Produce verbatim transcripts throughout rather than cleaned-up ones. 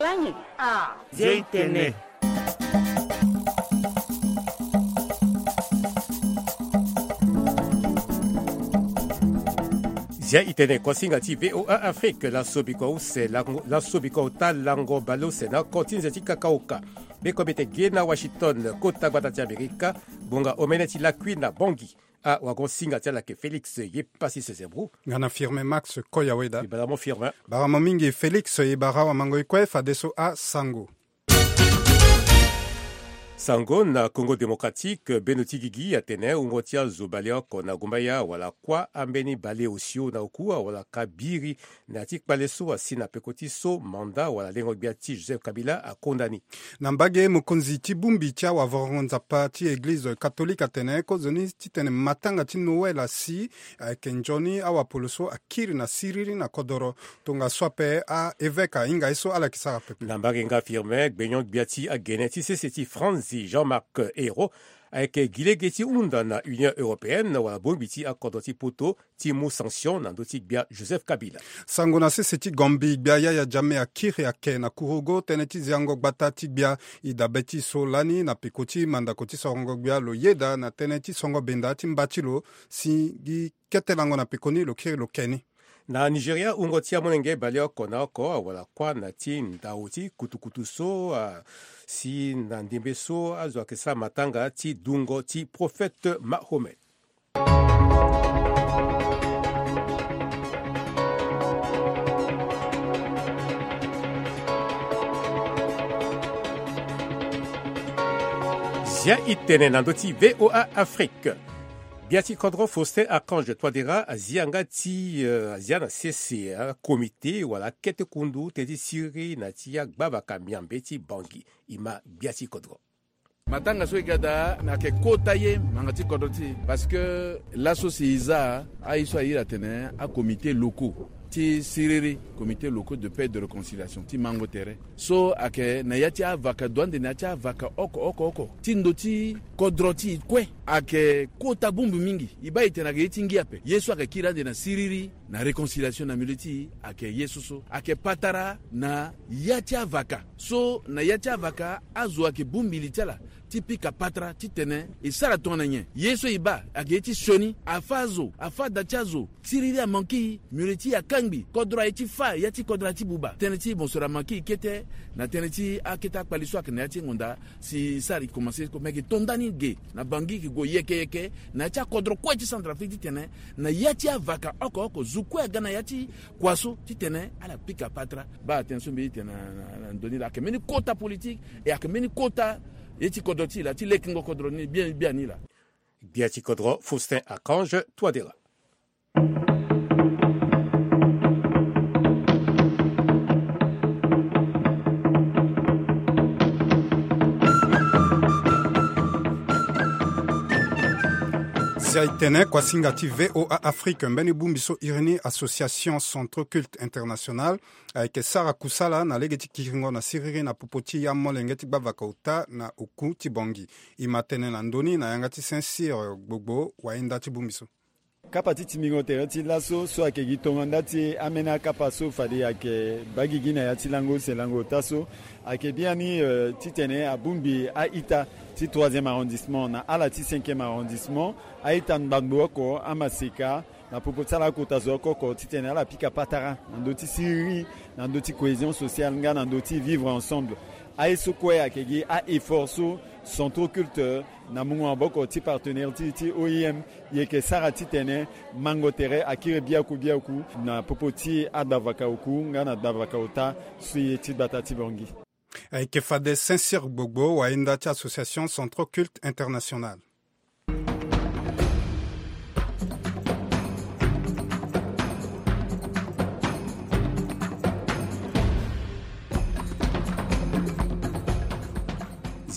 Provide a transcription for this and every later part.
Langi. Ah. Zia itene. Zia itene, kuasinga ti V O A Afrique, laso bikua use lango, laso bikua ota lango baleuse na oko ti nze ti kakaoka. Be komite ge na Washington, kota gbata ti Amerika, bonga omene ti lakui na Bangui. Ah, wagon singa ti ala ke Félix ye pasi sezebru. Nga na Firmin Max Koyaweda. Ibala mo Firmin. Bara mo mingi Félix, e bara wamango e kue fadeso asango. Sango na Congo Démocratique, beno ti gigi atene wungo ti azo baleoko na gumbaya wala kuâ ambeni baleosio na oku awala ka biri na ya ti kpale so asi na peko ti so mandat wala lengo gbia ti Joseph Kabila akonda ni. Na mbage, mokonzi ti bongbi ti awavorongo nzapa ti église catholique atene kozoni titene matanga ti Noël asi, ayeke nzoni awapolo so akiri na siriri na kodoro. Tongaso ape a-évêque ahinga ye so ala yeke sara pepe. Na mbage nga Firmin, gbenyo-gbia ti agene ti sese ti France, Jean-Marc Ayrault, ayeke gi lege ti hunda na Union européenne wala bongbi ti akodro ti poto ti mu sanction na ndö ti gbia Joseph Kabila. Sango na sese ti Gambie, gbia Yaya Jammeh akiri ayeke na kurugo tënë ti ziango gbata ti gbia. E dabe ti e so lani na peko ti mandako ti sorongo gbia lo yeda na tënë ti songo benda ti mba ti lo si gi kete lango na pekoni lo kiri lo ke ni. Na Nigeria, wungo ti amolenge baleoko na oko awala kuâ na ti ndau ti kutukutu so asi na ndembe so azo ayeke sara matanga ti dungo ti prophète Mahomet. Zia itene na ndö ti V O A Afrique. Gbia ti kodro Faustin Archange Touadéra azia nga ti, eh, azia na sese akomite wala akete kundu tënë ti siriri na ti agbavaka miambe ti Bangui. E ma gbia ti kodro. Matanga so e ga daa na yeke kota ye ngbanga ti kodro ti e. Parce que laso si e za aye so a iri atene akomite locaux ti siriri, comité locaux de paix et de réconciliation ti mango tere so ayeke na ya ti avaka, doit ande na ya ti avaka oko oko oko ti ndo ti kodro ti e kue. Ayeke kota bongbi mingi. E baa e tene ayeke ye ti ngia ape. Ye so ayeke kiri ande na siriri na réconciliation na milieu ti e ayeke ye so so ayeke patara na ya ti avaka. So na ya ti avaka azo ayeke bongbi li ti ala ti pika patara titene e sara tongana nyen. Ye so e baa ayeke ye ti sioni, afâ azo, afâ da ti azo, siriri amanke e, miole ti e akangbi, kodro aye ti fâ ya ti kodro aye ti buba. Tënë ti mosoro amanke e kete na tënë ti akete akpali so ayeke na ya ti e ngonda. Si e sara e komanse ko meke to ndani ge na Bangui, e ke gue yeke yeke na ya ti akodro kue ti Centrafrique titene na ya ti avaka oko oko zo kue aga na ya ti kua so titene ala pika patara. Baa tënë so mbi ye ti tene na, na, na ndö ni laa ayeke mbeni kota politique, e ayeke mbeni kota ye ti kodro ti e laa ti lekengo kodro ni bien, biani laa. Gbia ti kodro Faustin Archange Touadéra. Si aye tene kuasinga ti V O A Afrique, mbeni bongbi so iri ni Association Centre Culte International ayeke sara kusala na lege ti kiringo na siriri na popo ti amolenge ti gbavaka ota na oku ti Bangui. E ma tene na ndö ni na yanga ti Saint Cyr Gbogbo, wahinda ti bongbi so. Kapa ti timbingo tere ti laso so ayeke gi tongo nda ti ambeni akapa so fade ayeke baa gigi na ya ti lango use lango ota so ayeke biani, euh, titene abongbi a-ita ti troisième arrondissement na ala ti cinquième arrondissement, a-ita ngbangbo oko, amaseka, na popo ti ala akota zo oko oko titene ala pika patara na ndö ti siriri, na ndö ti cohésion sociale nga na ndö ti vivre ensemble. Aye so kue ayeke gi a-effort so Centre Culte na mungo maboko ti partenaire ti, ti O I M, e yeke sara titene mango tere akiri biaku biaku na popo ti agbavaka oku nga na gbavaka ota so e ye ti gbata ti Bangui. Ayeke fade Saint Cyr Gbogbo, wahinda ti Association Centre Culte International.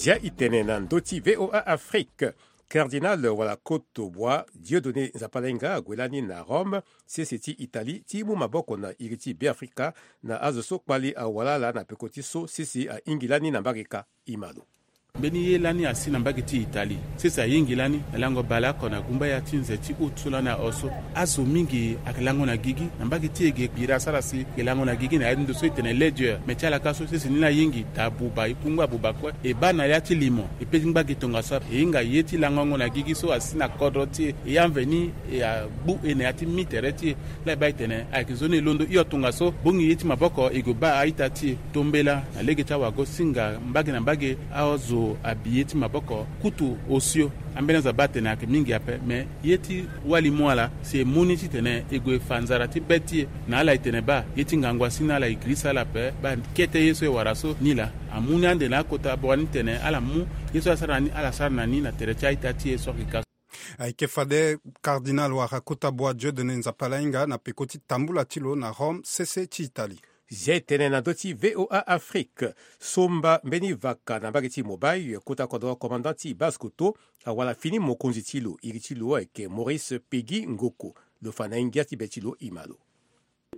Zia e tene na ndö ti V O A Afrique. Cardinal wala koto bua Dieudonné Nzapalenga ague lani na Rome, sese ti Italie, ti mu maboko na iri ti Beafrika na azo so kpali awara ala na peko ti so sese ahingi lani na mbarika. E ma lo. Mbeni ye lani asi na mbage ti Italie. Sese ayingi lani na lango baleoko na gumba ya ti nze ti août so lani aho so. Azo mingi ayeke lango na gigi na mbage ti e ge. Biri asara si e lango na gigi na ya ti ndo so e tene ledger. Me ti ala ka so sese ni lani ayingi daa buba, e kungba buba kue. E baa na ya ti limo, e pe ti ngba gi tongaso ape. E hinga ye ti langongo na gigi so asi na kodro ti e. E ya mveni e agbu e na ya ti mi tere ti e. Laa e baa e tene ayeke nzoni e londo hio tongaso. Bongi ye ti maboko e gue baa a-ita ti e. Tombela na lege ti awago-singa mbage na mbage. Azo abi ye ti maboko kutu osio. Ambeni azo abaa atene ayeke mingi ape, me ye ti wali mu ala si e mu ni titene e gue fa nzara ti be ti e. Na ala e tene baa ye ti ngangu asi ni ala e girisa ala ape. Baa kete ye so e wara so ni laa amu ni ande na akota bua ni tene ala mu ye so asara na ni, ala sara na ni na tere ti a-ita ti e so ayeke ka so. Ayeke fade cardinal wara kota bua Dieudonné Nzapa Lahinga na peko ti tambula ti lo na Rome, sese ti Italie. Zia e tene na ndö ti V O A Afrique. Somba mbeni vaka na mbage ti Mobay, kota kodro commandant ti Basse-Kotto, awara fini mokonzi ti lo, iri ti lo ayeke Maurice Peggy Ngoko. Lo fa na ye ngia ti be ti lo, e ma lo.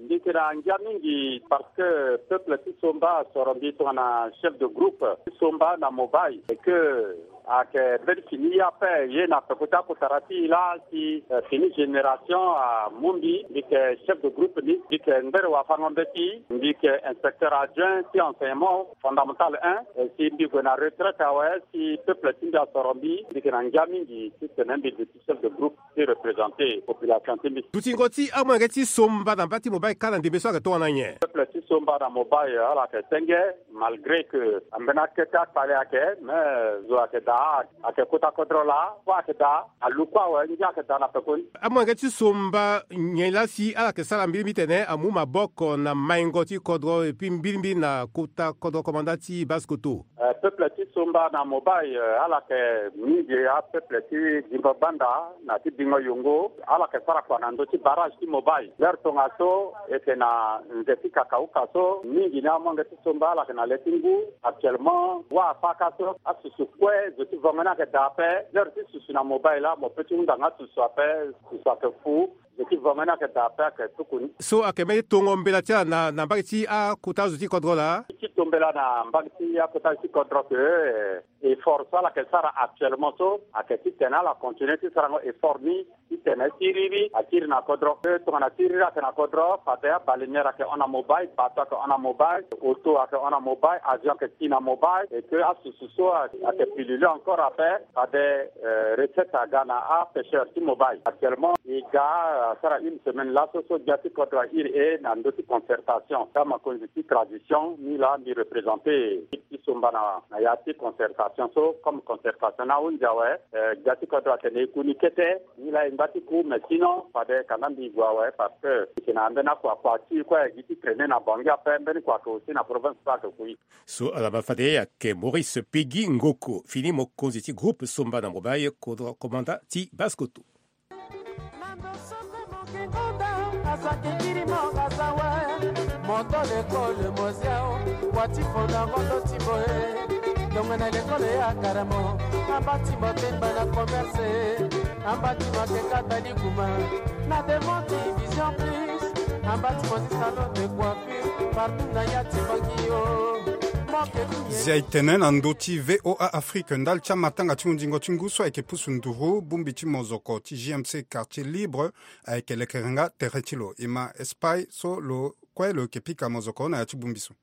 Mbi yeke na ngia mingi parce que peuple ti Somba asoro mbi tongana chef de groupe ti Somba na Mobay, et que ayeke mbeni fini ye ape. Ye na peko ti akotara ti e laa si, eh, fini génération amu mbi. Mbi yeke chef de groupe ni, mbi yeke ngbere wafango-mbeti, mbi yeke inspecteur adjoint ti enseignement fondamental un, eh, si mbi gue na retraite awe, si peuple ti mbi asoro mbi, mbi yeke na ngia mingi titene mbi duti chef de groupe ti représenter population ti mbi. Dutingo ti amolenge ti Somba na mba ti Mobay kâ na ndembe so ayeke tongana nyen? Peuple ti Somba na Mobay ala yeke senge, malgré que ambeni akete akpale ayeke, mais zo ayeke daa, ayeke kota kodro laa, kue ayeke daa, alu kue awe, ngia ayeke daa na pekoni. Amolenge ti Somba nyen laa si ala yeke sara mbirimbiri titene amu maboko na maingo ti kodro, et puis mbirimbiri na kota kodro commandant ti Basse-Kotto? Eh, peuple ti Somba na Mobay, eh, ala yeke mingi apeuple ti Zingo Banda na ti Bingo Yongo, ala yeke sara kua na ndö ti barrage ti Mobay. L'heure tongaso e yeke na nze ti kakauka so, mingi ni amolenge ti Somba ala yeke na le ti ngu. Actuellement, wâ afa ka so, asusu kue zo ti vongo ni ayeke daa ape. L'heure ti susu na Mobay laa mo pe ti hunda nga asusu ape, susu ayeke fu. Zo ti vongo ni ayeke daa ape, ayeke tuku ni. So ayeke mbeni tongo mbela ti ala na, na mbage ti akota zo ti kodro laa? Ti to mbela na mbage ti akota zo ti kodro ke, eh, effort so ala yeke sara actuellement so, ayeke titene ala continue ti sarango effort ni, titene siriri akiri na kodro. Eh, tongana siriri ayeke na kodro, fade abalinière ayeke hon na Mobay, bateau ayeke hon na Mobay, auto ayeke hon na Mobay, avion ayeke ti na Mobay, et que asusu so ayeke pilule encore ape, fade, eh, recette aga na apêcheur ti Mobay. Actuellement, e ga, eh, asara une semaine laso so gbia ti kodro ahiri e na ndö ti concertation. Ka mokonzi ti tradition, ni laa mbi représenter ti Somba na, na ya ti concertation so, comme concertation ni ahunzi awe, eh, gbia ti kodro atene e ku ni kete, ni laa e ngba ti ku, mais sinon, fade kanda mbi gue awe, parce que e yeke na ambeni akua, akua ti e kue gi ti traîner na Bangui ape, mbeni kua ayeke aussi na province so ayeke ku e. So ala ma fade ayeke Maurice Peggy Ngoko, fini mokonzi ti groupe Somba na Mobay, kodro commandant ti Basse-Kotto. Na ndo so kue moke ngonda, aza kekiri mo aza we. Moto lekole moziao, wa ti fo na ngondo ti boye. Tongana lekole ya karamo, amba ti mo temba na commerce, amba ti mo ake kata likuma. Na devant ti Vision Plus, amba ti mo ti salon de coiffure, partout na ya ti Bangui o. Mo ke ku ye. Zia e tene na ndö ti V O A Afrique, ndali ti amatanga ti hunzingo ti ngu so ayeke pusu nduru, bongbi ti mozoko ti J M C Quartier Libre ayeke lekere nga tere ti lo. E ma Espagne so lo kue lo yeke pika mozoko na ya ti bongbi so.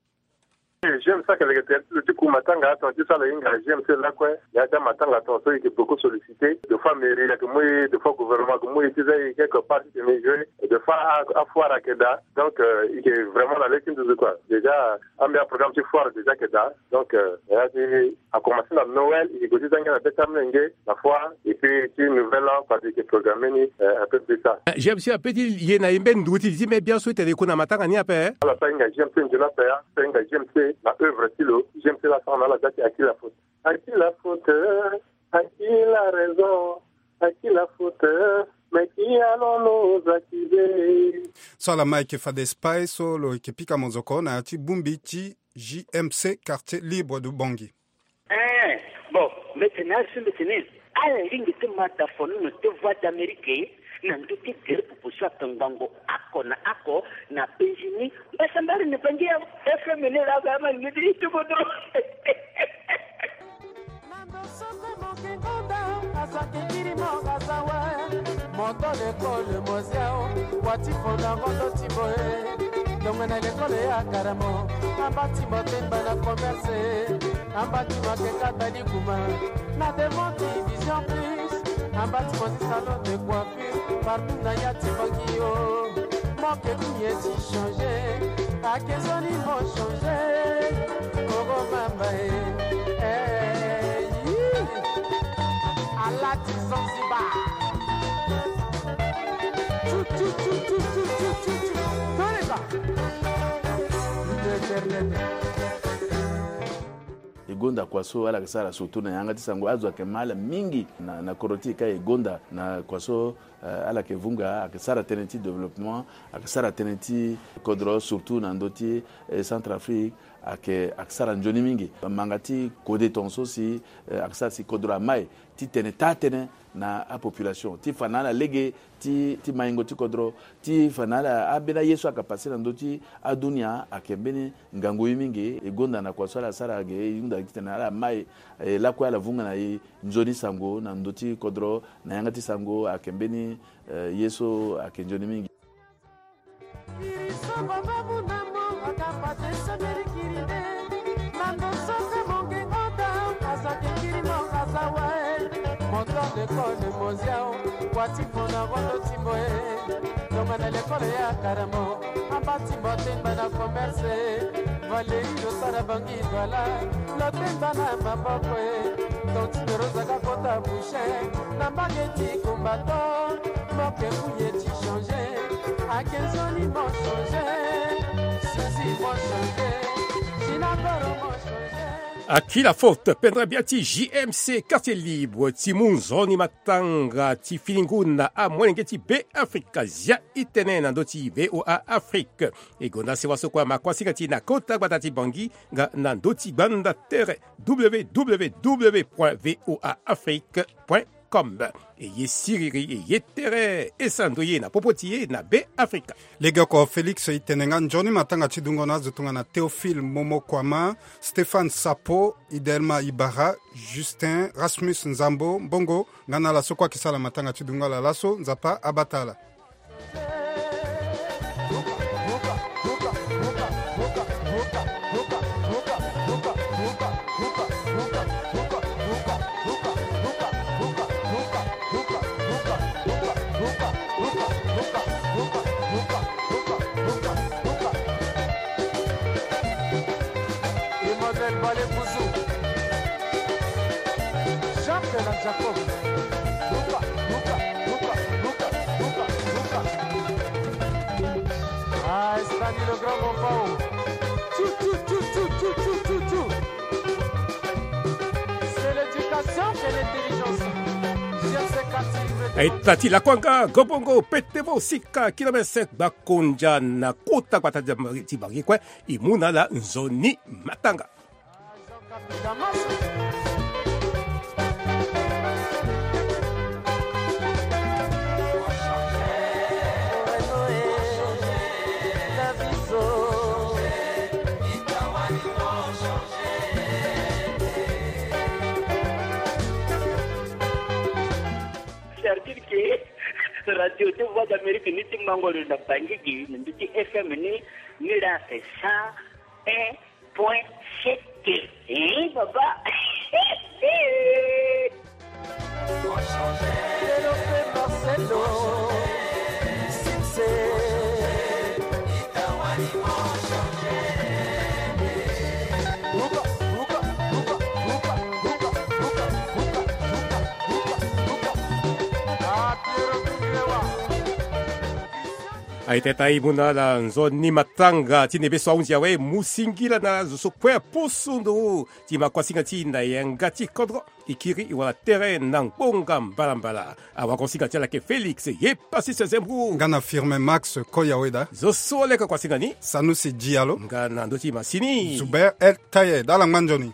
J M C ayeke leke tere ti lo ti ku matanga, ato ti so ala hinga J M C lakue. Ya ti amatanga tongaso e yeke beaucoup sollicité. Des fois mairie ayeke mu e, des fois gouvernement ayeke mu e ti za e quelque part ti tene e jouer. Des fois a, afoire ayeke daa. Donc, euh, e yeke vraiment na le ti nduzu quoi. Déjà, ambeni aprogramme ti foire déjà ayeke daa. Donc, euh, ya ti a commencé na Noël, e yeke gue ti za ngia na be ti amolenge, na foire, et puis ti Nouvel An, parce que e yeke programme ni, euh, un peu plus tard. Eh, J M C ape ti ye na e mbeni nduru ti li ti me bian so e tene e ku na matanga ni ape, eh? Ala so ahinga J M C nzoni ape, a so ahinga J M C na œuvre ti lo, J M C laa asara na ala da ti à qui la faute. À qui la faute, à qui la raison, à qui la faute, mais qui allons-nous accuser? So ala ma yeke fade Espagne so lo yeke pika mozoko na ya ti bongbi ti J M C Quartier Libre de Bangui. Eh, bon, mbi tene azo mbi tene ala lingbi ti ma da fonono ti Voix d'Amérique na ndö ti gere popo so ayeke ngbongo oko na oko na penzi ni. Mbasambara na Bangui awe, F M ni laa azo ama lingbi ti ti kodro. Moto lekole moziao, wati fona moto ti boye. Tonga na lekole ya karamo, amba ti motemba na commerce, amba ti makeka bali kuma. Na devant ti Vision Plus, amba ti mosi salon de coiffure, partout na ya ti bangi yo. Moke kuye ti changer, ake zoni mo changer. Koko mamba e, eh, yi. Alati Zanzibar. Tu, tu, tu. Toleka. L'éternel. E gonda kua so ala yeke sara surtout na yanga ti sango, azo ayeke ma ala mingi na, na kodro ti e ka e gonda na kua so, eh, ala yeke vunga, ayeke sara tënë ti développement, ayeke sara tënë ti kodro surtout na ndö ti, eh, Centrafrique, ayeke, ayeke sara nzoni mingi. Manga ti kode tongaso si, eh, ayeke sara si kodro amai ti tene taa tënë na apopulation ti fa na ala lege ti, ti maingo ti kodro, ti fa na ala, ambeni aye so ayeke passé na ndö ti adunia ayeke mbeni ngangu ye mingi. E gonda na kua so ala sara ge, e hunda titene ala mai, eh, lakue ala vunga na e nzoni sango na ndö ti kodro, na yanga ti sango ayeke mbeni, eh, ye so ayeke nzoni mingi. Kiri so baba muna mo akamba te sambeli kiri nde. Na ndo so ka monge ngota, aza ke kiri mo aza wa e. Moto lekole moziao, wati fona wondo ti mo e. Tonga na lekole ya karamo, amba ti mo temba na commerce. Valeri lo sara bangi Voilà, lo temba na maboko e. Ton ti ndoro zaka kota bouche. Na mbage ti kumba to. Moke kuye ti changer. Ake nzoni mo changer. Suzi mo changer. Gina Goro mo changer. Aki la faute, pendra bia ti J M C, quartier libre, ti mu nzoni matanga ti filingu na amolenge ti Be Afrika, zia i tene na ndö ti V O A Afrique. E gonda sewa so kue ama kuasinga ti na kota gbata ti Bangui, nga na ndö ti gbanda tere, W W W point V O A Afrique point com. E ye siriri, e ye tere, e sara ndoye na popo ti e na Be Afrika. Legeoko Félix, i tene nga nzoni matanga ti dungo na azo tongana Théophile Momo Kouama, Stéphane Sapo, Idelma Ibarra, Justin Rasmus Nzambo Mbongo, nga na ala so kue ayeke sara matanga ti dungo ala laso, Nzapa abata ala. Emmanuel Balé Bouzou, Jacques la Jacob. Luka, Luka, Luka, Luka, Luka, Luka. Ah, Stanley le grand Mopao. Tchou, tchou, tchou. C'est l'éducation, c'est l'intelligence. J M C quartier libre. Aita ti lakuanga, gobongo, petemo, sika, kilomètre cinq, Bakondia, na kota gbata ti Bangui kue, e mu na ala nzoni matanga. C'est-à-dire que radio de Voix d'Amérique ni ti mango lo na Bangui gi, na ndö ti F M ni, ni la c'est cent un point sept. Eh, papa. Aita, e mu na ala nzoni matanga ti nebe so ahunzi awe, mu singila na zo so kue apusu nduru ti ma kuasinga ti na yanga ti kodro. E kiri e wara tere na ngbonga mbalambala. Awakuasinga ti ala ayeke Félix ye Passis Zembou. Nga na Firmin Max Koyaweda. Zo so leke kuasinga ni. Sanusi Diallo. Nga na ndö ti masini. Zuber El Tayed, ala ngba nzoni.